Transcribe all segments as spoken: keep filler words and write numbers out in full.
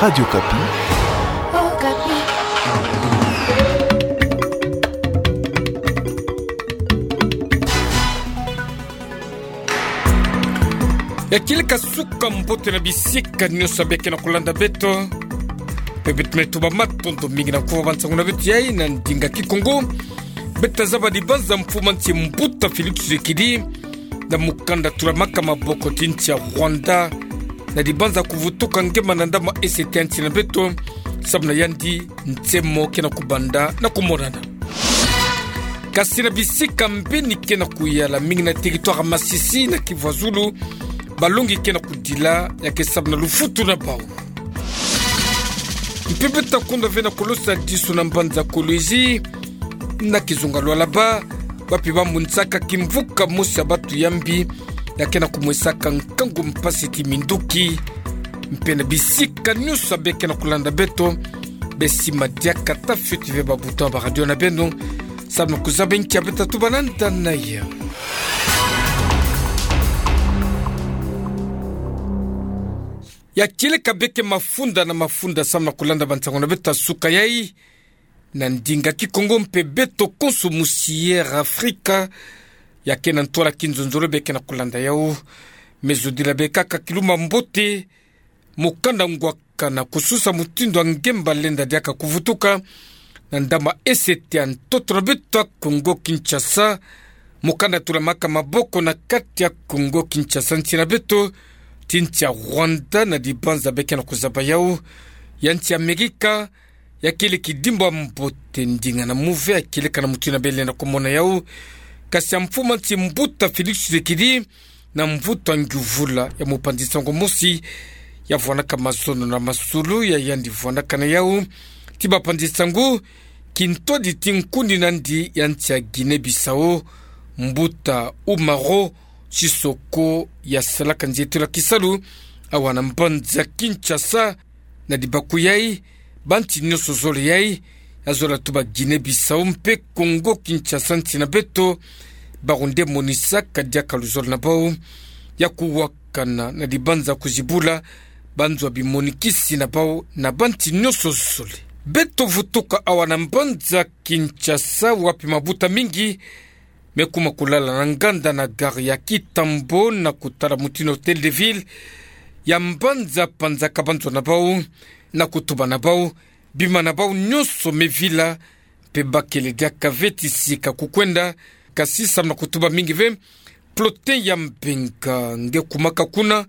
Radio Okapi. Ya kieleka suka mbote na bisika nyonso ya beke na kulanda beto. Pe beto me tuba matondo mingi na kuva ba nsangu na beto yai na ndinga Kikongo. Beto tazaba dibanza mfumu a nsi mbuta Félix Tshisekedi na mukanda tulamaka maboko ti nsi ya Rwanda, na dibanza kuvutuka ngemba na ndambu a Est ya nsi na beto, samu na yandi nse mo ke na kubanda na kumonana. Kasi na bisika mbeni ke na kuyala mingi na territoire Masisi na Kivu ya Zulu, balongi ke na kudila ya ke samu na lufutu na bau. Mpe beto ta kunda ve na kolosa disu na mbanza Kolwezi, na kizunga Lualaba, wapi ba monisaka kimvuka mosi ya batu ya mbi, ya ke na kumwesaka nkangu, mpasi ti minduki. Mpe na bisika nyonso ya beke na kulanda beto, besimba diaka ta fioti ve ba bouton ya ba radio na beno, samu na kuzaba nki ya beto ta tuba na nda na yau. Ya kieleka beke mafunda na mafunda samu na kulanda ba nsangu na beto ya suka yai na ndinga Kikongo mpe beto konso musi Air Afrika ya ke na ntwala kinzonzolo beke na kulanda yau. Me zodila be kaka kilumba mbote, mukanda ngwaka na kususa mutindu wa ngemba lenda diaka kuvutuka na ndambu a Est ya ntoto na beto ya Kongo Kinshasa, mukanda tulamaka maboko na kati ya Kongo Kinshasa, nsi na beto ti nsi ya Rwanda, na dibanza beke na kuzaba yau ya nsi ya Amerika. Ya kieleka kidimbu ya mbote, ndinga na muve ya kieleka na mutindu na bele na kumona yau. Kasi ya mfumu a nsi mbuta Félix Tshisekedi, na mvutu a ngiuvula ya mupanzi nsangu mosi ya vwanaka mazono na masolo ya yandi vwanaka na yau ti bapanzi nsangu, kintwadi ti nkuni nandi ya nsi ya Guinée-Bissau, mbuta Umaro Sissoco, ya salaka nzietelo ya kisalu awa na mbanza Kinshasa. Na dibaku yai, ba nsi nyonso zole yai, ya zola tuba Guinée-Bissau mpe Kongo Kinshasa, nsi na beto, bawu nde monisaka diaka luzolo na bau ya kuwakana na dibanza kuzibula ba nzo ya bimonikisi na bau na ba nsi nyonso zole. Beto vutuka awa na mbanza Kinshasa, wapi mabuta mingi me kuma kulala na nganda na gare ya Kintambo na kutala mutindu Hôtel de Ville ya mbanza panzaka ba nzo na bau, na kutuba na bau, bima na bau nyonso me vila, mpe bakele diaka ve ti sika kukwenda, kasi samu na kutuba mingi ve, peloton ya mbenga nge kumaka kuna,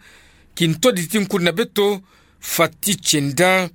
kintwadi ti nkuni na beto, Fati Tienda,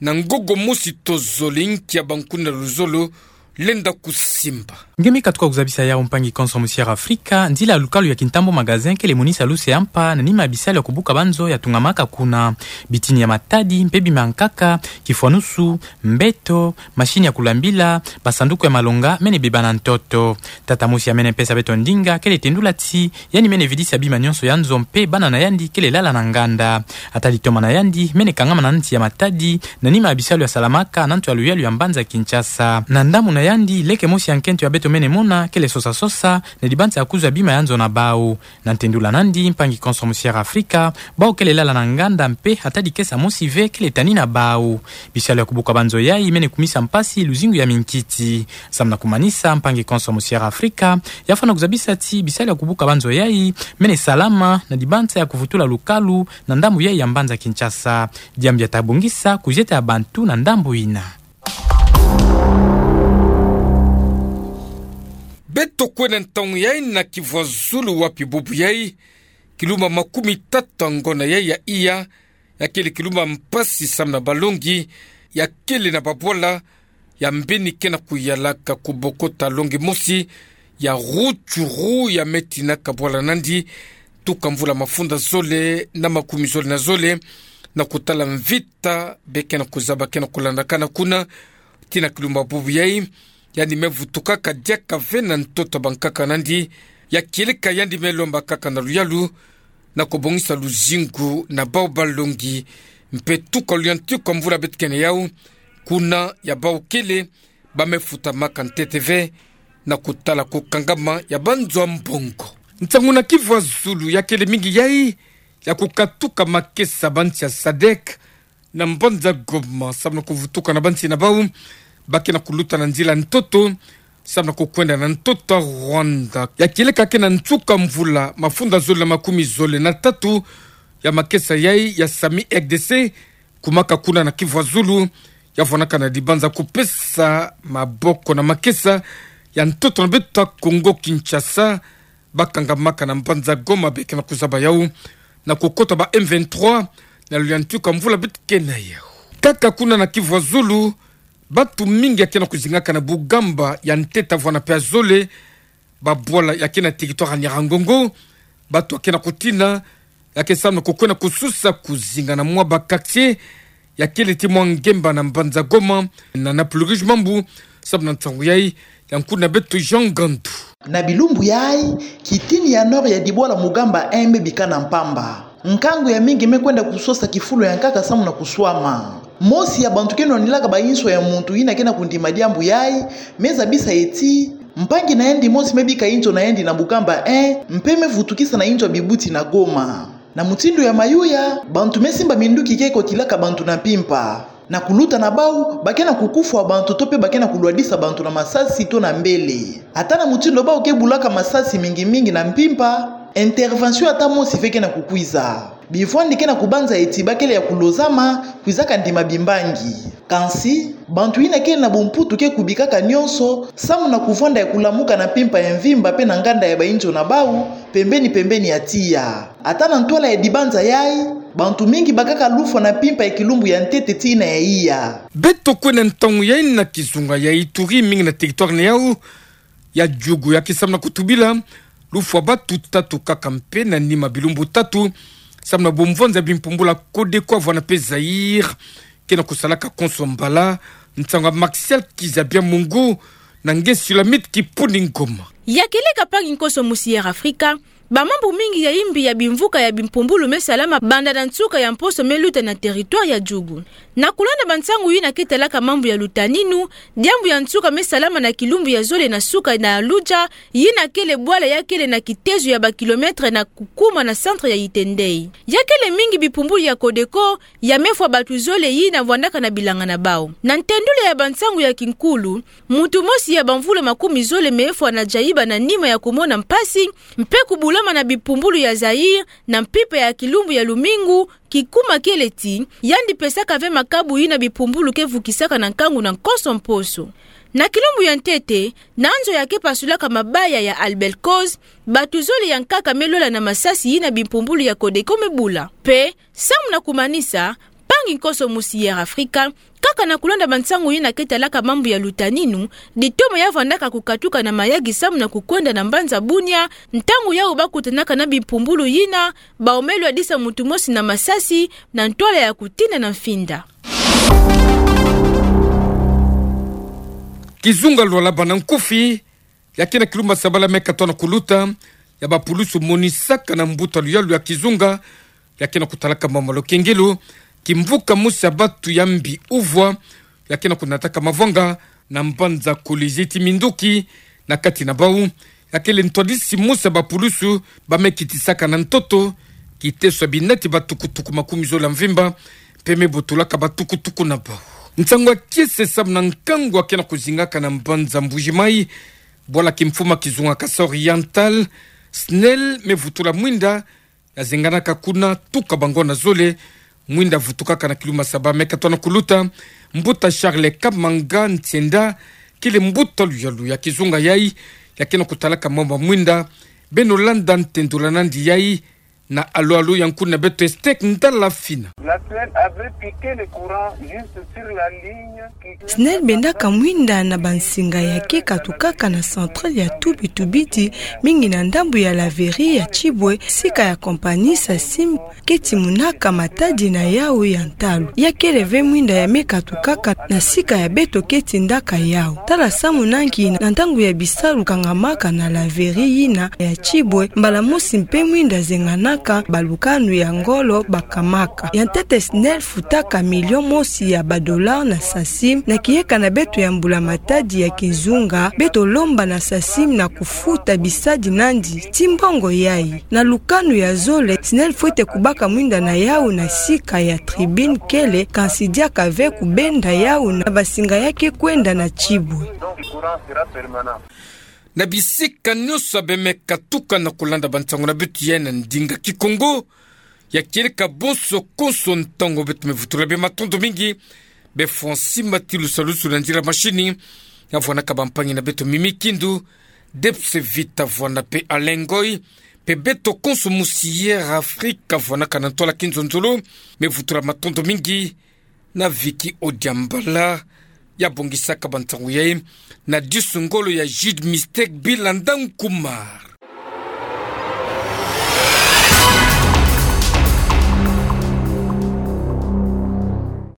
na ngogo mosi tozole nki ya bankuni na luzolo lenda kusimba. Nge me katuka kuzabisa yau, mpangi konso musi Air Afrika, nzila ya lukalu ya Kintambo Magasin kele monisa luse ya mpa na nima ya bisalu ya kubuka ba nzo ya tungamaka kuna. Bitini ya matadi, mpe bima ya nkaka, kifwanusu, mbeto, machine ya kulambila, basanduku ya malonga mene beba na ntoto. Tata mosi ya mene pesa beto ndinga kele tendula ti yandi mene vidisa bima nyonso ya nzo mpe bana na yandi kele lala na nganda. Ata litoma na yandi mene kangama na nsi ya matadi, na nima ya bisalu ya salamaka na nto ya luyalu ya mbanza Kinshasa. Na ndambu na yandi, leke mosi ya nkento ya beto mene mona kele sosa-sosa na dibanza ya kuzwa bima ya nzo na bau. Na ntendula nandi, mpangi konso musi Air Afrika, bau kele lala na nganda mpe ata dikesa mosi ve kele tani na bau. Bisalu ya kubuka ba nzo yai mene kumisa mpasi luzingu ya minkiti. Samu na kumanisa, mpangi konso musi Air Afrika, ya fwana kuzabisa ti bisalu ya kubuka ba nzo yai mene salama na dibanza ya kuvutula lukalu na ndambu yai ya mbanza Kinshasa. Diambu ya ta bongisa kuzieta ya bantu na ndambu ina. Beto kwenda ntangu yai na Kivu ya Zulu, wapi bubu yai, kilumba makumi tatu ya ngonda yai ya iya, ya kele kilumba mpasi samu na balongi, ya kele na babwala ya mbeni ke na kuyalaka kubokota longi mosi ya Rutshuru, ya me tinaka bwala nandi tuka mvula mafunda zole na makumi zole na zole, na kutala mvita be ke na kuzaba ke na kulandakana kuna, tii na kilumba bubu yai. Yandi me vutukaka diaka ve na ntoto ya bankaka nandi, ya kieleka yandi me lombakaka na luyalu na kubongisa luzingu na bau balongi, mpe tuka luyantiku ya mvula beto ke na yau, kuna ya bau kele ba me futamaka ntete ve na kutala kukangama ya ba nzo ya mbongo. Nsangu na Kivu ya Zulu ya kele mingi yai, ya kukatuka makesa ba nsi ya sadek Na mbanza Goma, samu na kuvutuka na bansi na bau ba ke na kuluta na nzila ntoto, samu na kukwenda na ntoto Rwanda. Ya kieleka ke na nsuka mvula mafunda zole na makumi zole na tatu ya makesa yai ya SAMU R D C, kumaka kuna na Kivu ya Zulu, ya vwanaka na dibanza kupesa maboko na makesa ya ntoto na beto ya Congo Kinshasa, ba kangamaka na mbanza Goma be ke na kuzaba yau na kukota ba M vingt-trois na lulendo ya nsuka mvula beto ke na yau. Kaka kuna na Kivu ya Zulu, bantu mingi ya ke na kuzingaka na Bugamba ya ntete vwana pe ya zole, babwala ya ke na territoire ya Nyiragongo, bantu ya ke na kutina, ya ke samu na kukwenda kususa kuzinga na mwa ba quartier ya kele ti mwa ngemba na mbanza Goma, na Napluruj Mambu, samu na nsangu yai, ya nkuna beto Jean Gandu. Na bilumbu yai, kitini ya nord ya dibwala Mugamba un me bika na mpamba. Nkangu ya mingi me kwenda kusosa kifulu ya nkaka samu na kuswama. Mosi ya bantu ke nwanilaka ba inzo ya muntu yina ke na kundima diambu yai, me zabisa ye ti mpangi na yandi mosi me bika inzo na yandi na Mugamba un, mpe me vutukisa na inzo ya bibuti na Goma. Na mutindu ya mayuya, bantu me simba minduki ke kotilaka bantu na mpimpa. Na kuluta na bau, ba ke na kukufwa bantu to mpe ba ke na kulwadisa bantu na masasi to na mbele. Ata na mutindu bau ke bulaka masasi mingi mingi na mpimpa, intervention ata mosi ve ke na kukwiza. Bivwandi ke na kubanza ye ti ba kele ya kulozama, kwizaka ndima bimbangi. Kansi, bantu yina kele na bumputu ke kubikaka nyonso, samu na kuvwanda ya kulamuka na mpimpa ya mvimba mpe na nganda ya ba inzo na bau, pembeni pembeni ya tiya. Ata na ntwala ya dibanza yai, bantu mingi bakaka lufwa na mpimpa ya kilumbu ya ntete tii na ya iya. Beto kwenda ntangu yai na kizunga ya Ituri, mingi na territoire na yau ya Djugu, ya ke samu na kutubila lufwa bantu tatu kaka mpe na nima bilumbu tatu, samu na bumvwanza ya bimpumbulu ya Codeco vwana pe Zaïre ke na kusalaka konso mbala. Nsangu ya Martial Kizabia Mungu na nge Sulamite Kipuni Ngoma. Ya kieleka mpangi nkoso musi Air Africa, ba mambu mingi ya imbi ya bimvuka ya bimpumbulu me salama banda na nsuka ya mposo me luta na territoire ya Djugu. Na kulanda bansangu yina ke talaka mambu ya lutaninu, diambu ya nsuka me salama na kilumbu ya zole na suka na Luja, yina kele bwala ya kele na kitezo ya ba kilomètre na kukuma na centre ya Iten-Ndeye. Ya kele mingi bimpumbulu ya Codeco ya me fwa bantu zole yina vwandaka na bilanga na bau. Na ntendula ya bansangu ya kinkulu, muntu mosi ya bamvula makumi zole me fwa na jayiba na nima ya kumona mpasi, mpe kubulama na bimpumbulu ya Zaïre, na mpimpa ya kilumbu ya lumingu, kikuma kele ti yandi pesaka ve makabu yina bimpumbulu ke vukisaka na nkangu na nkoso mposo. Na kilumbu ya ntete, na nzo ya ke pasulaka mabaya ya Albert Coz, bantu zole ya nkaka me lwala na masasi yina bimpumbulu ya Codeco me bula. Mpe, samu na kumanisa, mpangi nkoso musi Air Africa, kaka na kulanda bansangu yina ke talaka mambu ya lutaninu, ditoma ya vwandaka kukatuka na Mayagi samu na kukwenda na mbanza Bunia, ntangu yau ba kutanaka na bimpumbulu yina, bau me lwadisa muntu mosi na masasi, na ntwala ya kutina na mfinda. Kizunga Lualaba na nkufi, ya ke na kilumbu ya sabala me katoa na kuluta, ya bapulusu monisaka na mbuta luyalu ya kizunga, ya ke na kutalaka mama Lokengelo, kimvuka mosi ya bantu ya mbi uvwa, ya ke na kunataka mavanga na mbanza Kolwezi ti minduki, na kati na bau, ya kele ntwadisi mosi ya bapulusu ba me kitisaka na ntoto kiteso ya binati ba tukutuku makumi zole ya mvimba, mpe me botolaka ba tukutuku na bau. Nsangu ya kiese samu na nkangu ya ke na kuzingaka na mbanza Mbuji-Mayi, bwala kimfuma kizunga Kasaï Oriental, SNEL me vutula mwinda ya zenganaka kuna tuka bangonda zole. Mwinda vutukaka na kilumbu ya saba me katoa na kuluta, mbuta Charles Kamanga Ntienda, kele mbuta luyalu ya kizunga yai, ya ke na kutalaka mama mwinda. Beno landa ntendula nandi yai na alo alo ya nkuna beto Estek Ndala Fina. La SNEL avait piqué le courant juste sur la ligne qui SNEL bendaka mwinda na bansinga ya ke katukaka na centrale ya Tubi Tubidi, mingi na ndambu ya laverie ya Tibwe, sika ya compagnie Sasim ke timunaka matadi na yau ya ntalu. Ya kele ve mwinda ya me katukaka na sika ya beto ke tindaka yau. Tala samu na nki, na ntangu ya bisalu kangamaka na laverie yina ya Tibwe, mbala mosi mpe mwinda zenganaka ka balukanu ya ngolo bakamaka. Ya ntete SNEL futaka milion mosi ya badollars na SACIM na kiyeka na beto ya mbula-matadi ya kizunga. Beto lomba na SACIM na kufuta bisadi nandi ti mbongo yayi. Na lukanu ya zole, SNEL fwete kubaka mwinda na yawu na sika ya tribune kele, kansi diaka ve kubenda yawu na basinga ya ke kwenda na tibwe. Na bisika nionso beme katuka na kulanda bansangu na beto ya na ndinga Kikongo, ya kieleka bonso konso ntangu beto me vutula bie matondo mingi. Be Francine Matilusa Lusu na nzila mashini, ya vwanaka bampangi na beto Mimi Kindu, Debs Vita Vwana pe Alain Ngoy, pe beto konso musi Air Afrique vwanaka na ntwala kinzonzolo, me vutula matondo mingi na Vicky Odiambala, ya bongisaka bansangu yayi, na disu ngolo ya Jude Mystère Bilanda Nkumar.